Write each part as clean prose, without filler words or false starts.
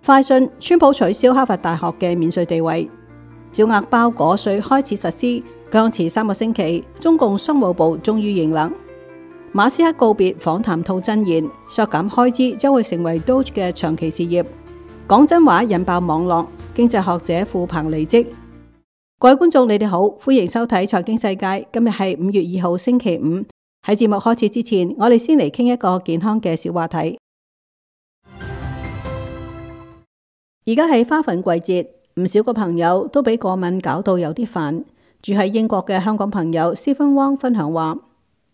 快訊：川普取消哈佛大學嘅免稅地位，小額包裹稅開始實施，僵持3個星期，中共商務部終於認冷。馬斯克告別訪談吐真言，削減開支將會成為 Doge 嘅長期事業。講真話引爆網絡，經濟學者傅鵬離職。各位觀眾，你哋好，歡迎收睇財經世界。今日係5月2號星期五。喺節目開始之前，我哋先嚟傾一個健康嘅小話題。而家係花粉季節，唔少個朋友都俾過敏搞到有啲煩。住喺英國嘅香港朋友 Stephen Wong 分享話：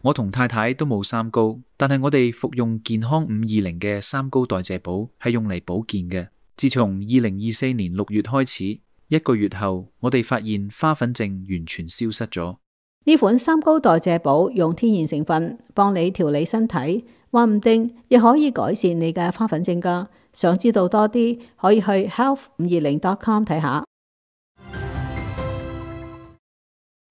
我同太太都冇三高，但係我哋服用健康520嘅三高代謝寶係用嚟保健嘅。自從2024年6月開始，1個月後，我哋發現花粉症完全消失咗。呢款三高代謝寶用天然成分幫你調理身體，話唔定亦可以改善你嘅花粉症㗎。想知道多啲，可以去 health520.com 睇下。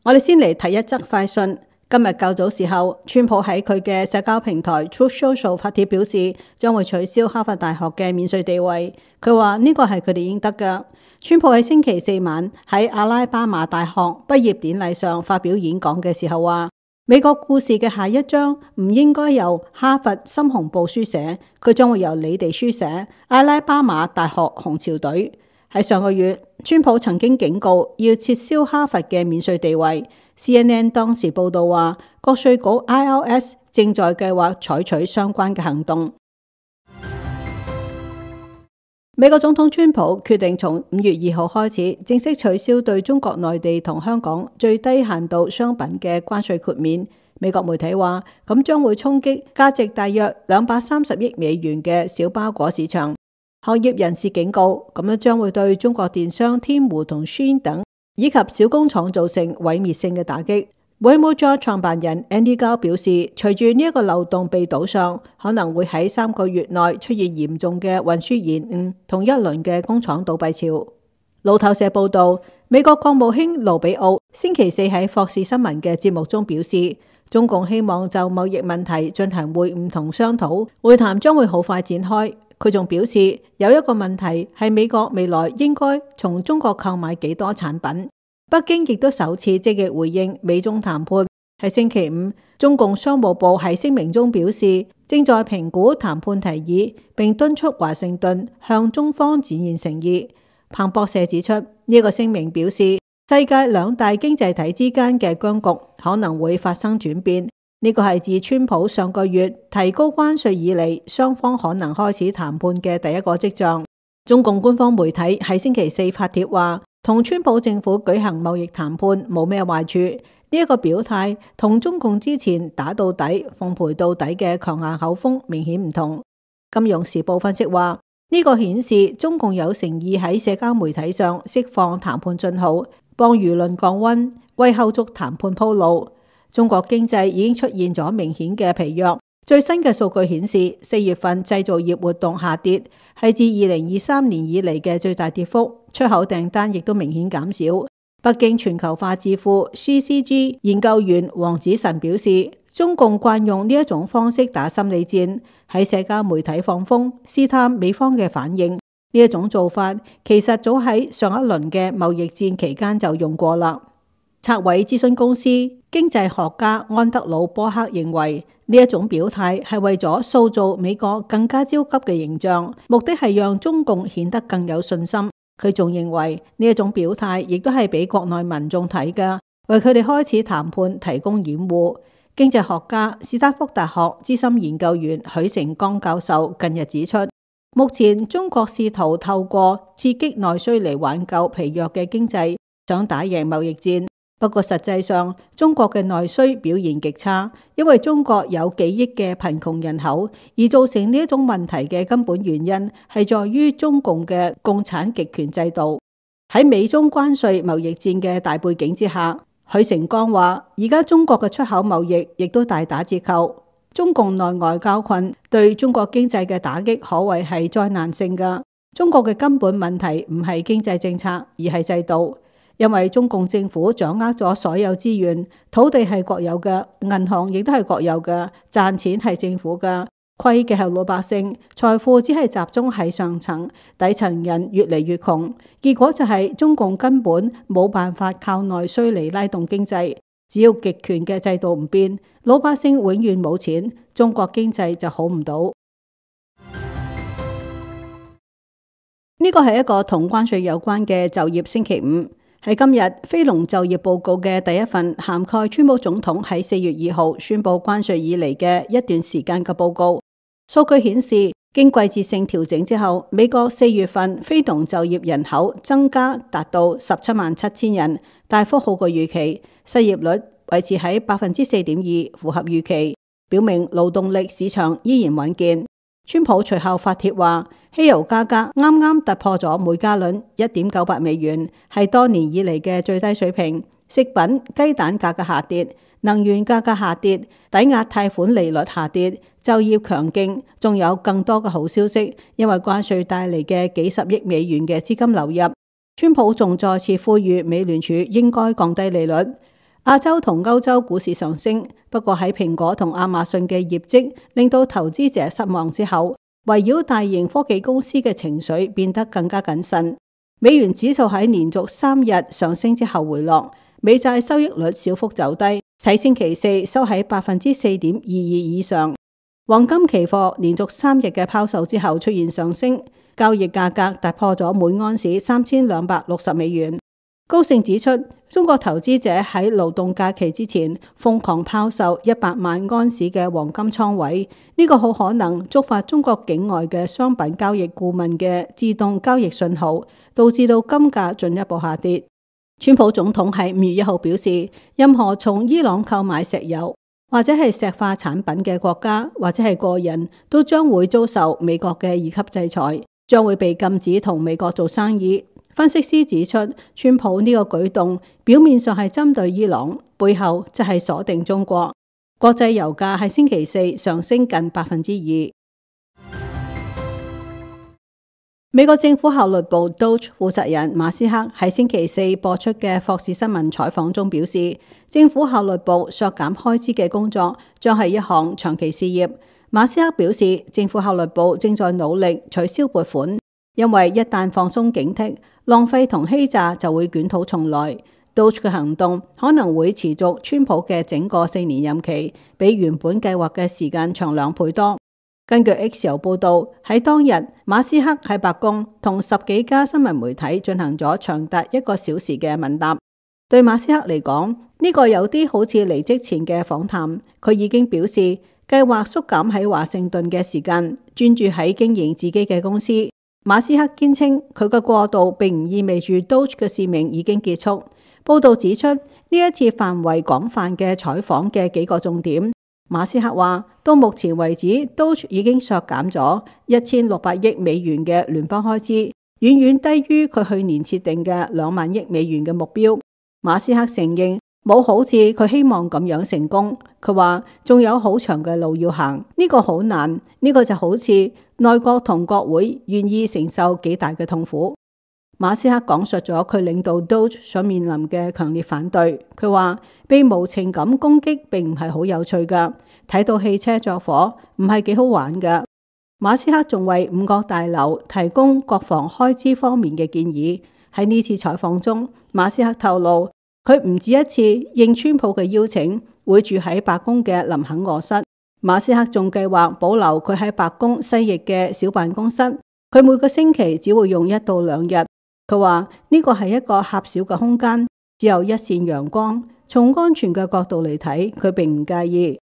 我哋先嚟睇一則快訊。今日較早時候，川普喺佢嘅社交平台 Truth Social 發帖表示，將會取消哈佛大學嘅免稅地位。佢話呢個係佢哋應得㗎。川普喺星期四晚喺阿拉巴馬大學畢業典禮上發表演講嘅時候話，美國故事嘅下一章唔應該由哈佛深紅部書寫，佢將會由你哋書寫。阿拉巴馬大學紅潮隊。喺上個月，川普曾經警告要撤銷哈佛嘅免稅地位。CNN 當時報道話，國稅局 IRS 正在計劃採取相關嘅行動。美國總統川普決定從5月2號開始正式取消對中國內地同香港最低限度商品嘅關稅豁免。美國媒體話，咁將會衝擊價值大約230億美元嘅小包裹市場。行業人士警告，咁樣將會對中國電商天狐同 Shein 等以及小工廠造成毀滅性嘅打擊。Walmart 創辦人 Andy Gao 表示，隨住呢一個漏洞被堵上，可能會喺3個月內出現嚴重嘅運輸延誤同一輪嘅工廠倒閉潮。路透社報道，美國國務卿盧比奧星期四喺霍士新聞嘅節目中表示，中共希望就貿易問題進行會晤同商討，會談將會好快展開。佢仲表示，有一個問題係美國未來應該從中國購買幾多產品。北京亦都首次積極回應美中談判。喺星期五，中共商務部喺聲明中表示，正在評估談判提議，並敦促華盛頓向中方展現誠意。彭博社指出，呢個聲明表示，世界兩大經濟體之間嘅僵局可能會發生轉變。呢個係自川普上個月提高關稅以嚟，雙方可能開始談判嘅第一個跡象。中共官方媒體喺星期四發帖話，同川普政府舉行貿易談判冇咩壞處。呢一個表態同中共之前打到底、奉陪到底嘅強硬口風明顯唔同。金融時報分析話，呢個顯示中共有誠意喺社交媒體上釋放談判信號，幫輿論降溫，為後續談判鋪路。中國經濟已經出現咗明顯嘅疲弱。最新嘅數據顯示，4月份製造業活動下跌，係自2023年以嚟嘅最大跌幅。出口訂單亦都明顯減少。北京全球化智庫 CCG 研究員黃子晨表示，中共慣用呢一種方式打心理戰，喺社交媒體放風，試探美方嘅反應。呢一種做法其實早喺上一輪嘅貿易戰期間就用過啦。策偉諮詢公司經濟學家安德魯波克認為，呢一種表態係為咗塑造美國更加焦急嘅形象，目的係讓中共顯得更有信心。佢仲認為呢一種表態亦都係俾國內民眾睇㗎，為佢哋開始談判提供掩護。經濟學家史丹福大學資深研究員許成剛教授近日指出，目前中國試圖透過刺激內需嚟挽救疲弱嘅經濟，想打贏貿易戰。不過實際上，中國嘅內需表現極差，因為中國有幾億嘅貧窮人口，而造成呢一種問題嘅根本原因係在於中共嘅共產極權制度。喺美中關稅貿易戰嘅大背景之下，許成剛話，而家中國嘅出口貿易亦都大打折扣。中共內外交困對中國經濟嘅打擊可謂係災難性㗎。中國嘅根本問題唔係經濟政策，而係制度。因為中共政府掌握咗所有資源，土地係國有嘅，銀行亦都係國有嘅，賺錢係政府嘅，虧嘅係老百姓，財富只係集中喺上層，底層人越嚟越窮。結果就係中共根本冇辦法靠內需嚟拉動經濟，只要極權嘅制度唔變，老百姓永遠冇錢，中國經濟就好唔到。呢個係一個同關稅有關嘅就業星期五，係今日非農就業報告嘅第一份涵蓋川普總統喺4月2號宣布關稅以嚟嘅一段時間嘅報告。數據顯示，經季節性調整之後，美國4月份非農就業人口增加達到177000人，大幅好過預期，失業率維持喺4.2%，符合預期，表明勞動力市場依然穩健。川普隨後發帖話，汽油價格啱啱突破咗每加侖1.98美元，係多年以嚟嘅最低水平。食品、雞蛋價格下跌，能源價格下跌，抵押貸款利率下跌，就業強勁，仲有更多嘅好消息，因為關稅帶嚟嘅幾十億美元嘅資金流入。川普仲再次呼籲美聯儲應該降低利率。亞洲同歐洲股市上升，不過喺蘋果同亞馬遜嘅業績令到投資者失望之後，圍繞大型科技公司嘅情緒變得更加謹慎。美元指數喺連續3日上升之後回落，美債收益率小幅走低，喺星期四收喺4.22%以上。黃金期貨連續3日嘅拋售之後出現上升，交易價格突破咗每盎司3260美元。高盛指出，中國投資者喺勞動假期之前瘋狂拋售100萬盎司嘅黃金倉位，呢個好可能觸發中國境外嘅商品交易顧問嘅自動交易信號，導致到金價進一步下跌。川普總統喺5月1號表示，任何從伊朗購買石油或者係石化產品嘅國家或者係個人，都將會遭受美國嘅2級制裁，將會被禁止同美國做生意。分析師指出，川普呢個舉動表面上係針對伊朗，背後就係鎖定中國。國際油價喺星期四上升近2%。美國政府效率部 Doge 負責人馬斯克喺星期四播出嘅霍士新聞採訪中表示，政府效率部削減開支嘅工作將係一項長期事業。馬斯克表示，政府效率部正在努力取消撥款，因為一旦放鬆警惕，浪費同欺詐就會捲土重來。Doge 嘅行動可能會持續川普嘅整個4年任期，比原本計劃嘅時間長2倍多。根據 X 郵報道，喺當日，馬斯克喺白宮同10幾家新聞媒體進行咗長達1個小時嘅問答。對馬斯克嚟講，呢個有啲好似離職前嘅訪談。佢已經表示計劃縮減喺華盛頓嘅時間，專注喺經營自己嘅公司。馬斯克堅稱佢嘅過渡並唔意味住 Doge 嘅使命已經結束。報道指出，呢一次範圍廣泛嘅採訪嘅幾個重點。馬斯克話，到目前為止 Doge 已經削減咗1600億美元嘅聯邦開支，遠遠低於佢去年設定嘅2萬億美元嘅目標。馬斯克承認冇好似佢希望咁樣成功。佢話仲有好長嘅路要行，呢個好難，呢個就好似內閣同國會願意承受幾大嘅痛苦。馬斯克講述咗佢領導 Doge 所面臨嘅強烈反對。佢話被無情感攻擊並唔係好有趣噶，睇到汽車着火唔係幾好玩噶。馬斯克仲為5個大樓提供國防開支方面嘅建議。喺呢次採訪中，馬斯克透露佢唔止一次應川普嘅邀請，會住喺白宮嘅林肯臥室。馬斯克仲計劃保留佢喺白宮西翼嘅小辦公室，佢每個星期只會用1到2日。佢話呢個係一個狹小嘅空間，只有一線陽光。從安全嘅角度嚟睇，佢並唔介意。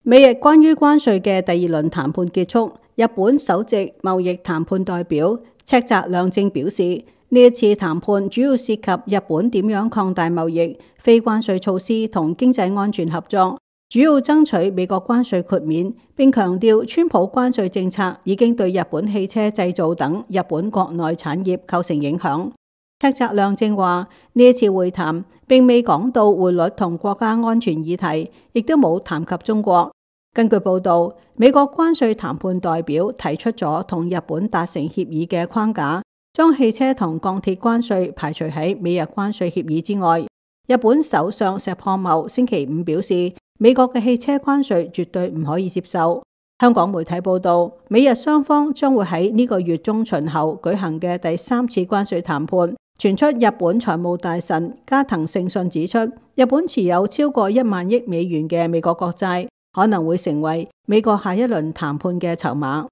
美日關於關稅嘅第2輪談判結束，日本首席貿易談判代表赤澤亮正表示，呢一次談判主要涉及日本點樣擴大貿易、非關稅措施同經濟安全合作，主要爭取美國關稅豁免，並強調川普關稅政策已經對日本汽車製造等日本國內產業構成影響。赤澤亮正話，呢一次會談並未講到匯率同國家安全議題，亦都冇談及中國。根據報道，美國關稅談判代表提出咗同日本達成協議嘅框架，將汽車同鋼鐵關稅排除喺美日關稅協議之外。日本首相石破茂星期5表示，美國嘅汽車關稅絕對唔可以接受。香港媒體報道，美日雙方將會喺呢個月中旬後舉行嘅第3次關稅談判。傳出日本財務大臣加藤勝信指出，日本持有超過1萬億美元嘅美國國債，可能會成為美國下一輪談判嘅籌碼。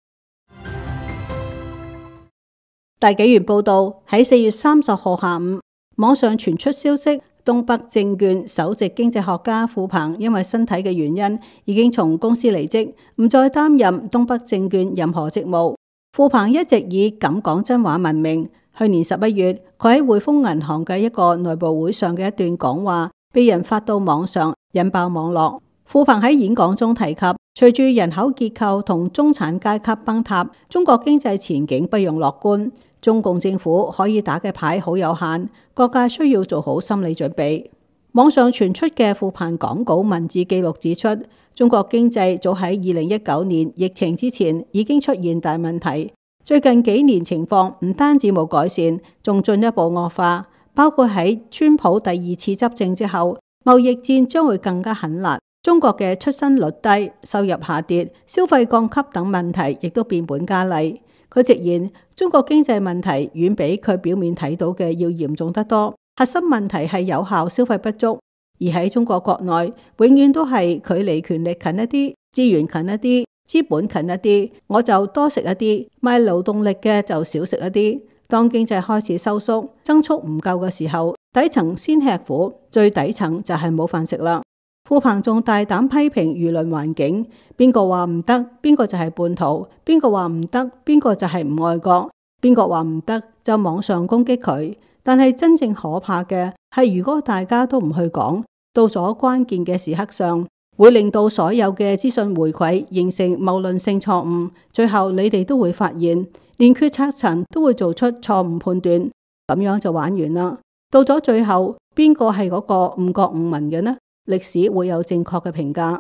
大紀元報道，喺4月30號下午，網上傳出消息，東北證券首席經濟學家傅鵬因為身體嘅原因，已經從公司離職，唔再擔任東北證券任何職務。傅鵬一直以敢講真話聞名。去年11月，佢喺匯豐銀行嘅一個內部會上嘅一段講話，被人發到網上，引爆網絡。傅鵬喺演講中提及，隨住人口結構同中產階級崩塌，中國經濟前景不容樂觀。中共政府可以打嘅牌好有限，各界需要做好心理準備。網上傳出嘅傅鵬講稿文字記錄指出，中國經濟早喺2019年疫情之前已經出現大問題，最近幾年情況唔單止冇改善，仲進一步惡化，包括喺川普第2次執政之後，貿易戰將會更加狠辣。中國嘅出生率低、收入下跌、消費降級等問題亦都變本加厲。佢直言，中國經濟問題遠比佢表面睇到嘅要嚴重得多。核心問題係有效消費不足，而喺中國國內，永遠都係距離權力近一啲、資源近一啲、資本近一啲，我就多食一啲，賣勞動力嘅就少食一啲。當經濟開始收縮、增速唔夠嘅時候，底層先吃苦，最底層就係冇飯食啦。傅鵬仲大膽批評輿論環境，邊個話唔得，邊個就係叛徒；邊個話唔得，邊個就係唔愛國；邊個話唔得，就網上攻擊佢。但係真正可怕嘅係，如果大家都唔去講，到咗關鍵嘅時刻上，會令到所有嘅資訊回饋形成謬論性錯誤，最後你哋都會發現，連決策層都會做出錯誤判斷，咁樣就玩完啦。到咗最後，邊個係嗰個誤國誤民嘅呢？歷史會有正確嘅評價。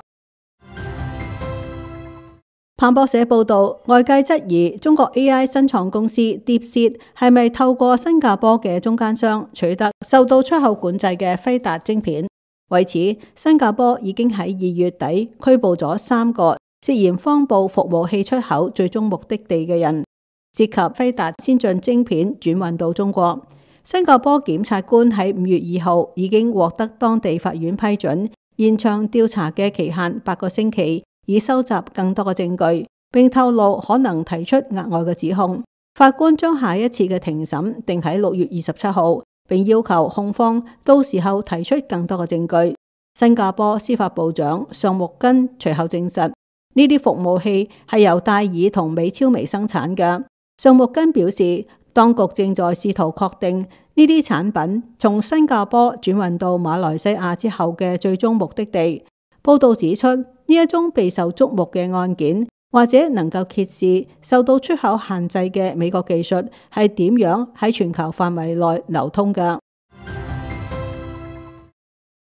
彭博社報道，外界質疑中國 AI 新創公司 DeepSeek 係咪透過新加坡嘅中間商取得受到出口管制嘅輝達晶片。為此，新加坡已經喺2月底拘捕咗3個涉嫌謊報服務器出口最終目的地嘅人，涉及輝達先進晶片轉運到中國。新加坡檢察官喺5月2號已經獲得當地法院批准，延長調查嘅期限8個星期，以收集更多嘅證據，並透露可能提出額外嘅指控。法官將下一次嘅庭審定喺6月27號，並要求控方到時候提出更多嘅證據。新加坡司法部長尚木根隨後證實，呢啲服務器係由戴爾同美超微生產嘅。尚木根表示，當局正在試圖確定呢啲產品從新加坡轉運到馬來西亞之後嘅最終目的地。報道指出，呢一宗備受矚目嘅案件，或者能夠揭示受到出口限制嘅美國技術係點樣喺全球範圍內流通嘅。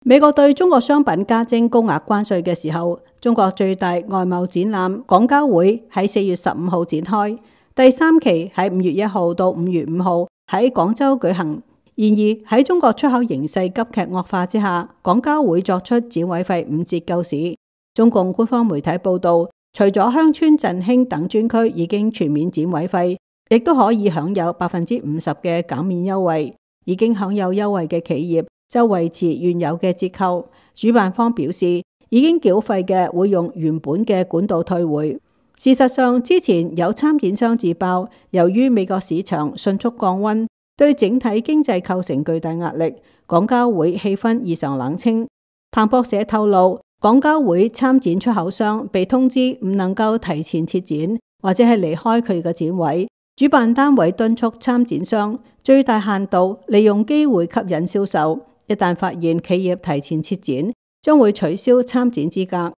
美國對中國商品加徵高額關稅嘅時候，中國最大外貿展覽廣交會喺4月15號展開。第3期喺5月1號到5月5號喺廣州舉行。然而喺中國出口形勢急劇惡化之下，廣交會作出展位費5折救市。中共官方媒體報道，除咗鄉村振興等專區已經全面展位費，亦都可以享有50%嘅減免優惠。已經享有優惠嘅企業就維持原有嘅折扣。主辦方表示，已經繳費嘅會用原本嘅管道退回。事實上，之前有參展商自爆，由於美國市場迅速降溫，對整體經濟構成巨大壓力，廣交會氣氛異常冷清。彭博社透露，廣交會參展出口商被通知唔能夠提前撤展，或者係離開佢嘅展位。主辦單位敦促參展商最大限度利用機會吸引銷售，一旦發現企業提前撤展，將會取消參展資格。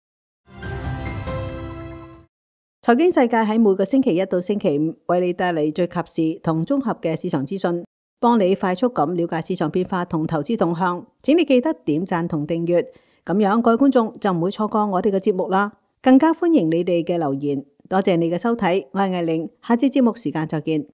財經世界喺每個星期一到星期五為你帶嚟最及時同綜合嘅市場資訊，幫你快速咁了解市場變化同投資動向。請你記得點讚同訂閱，咁樣各位觀眾就唔會錯過我哋嘅節目啦。更加歡迎你哋嘅留言。多謝你嘅收睇，我係艾玲，下次節目時間再見。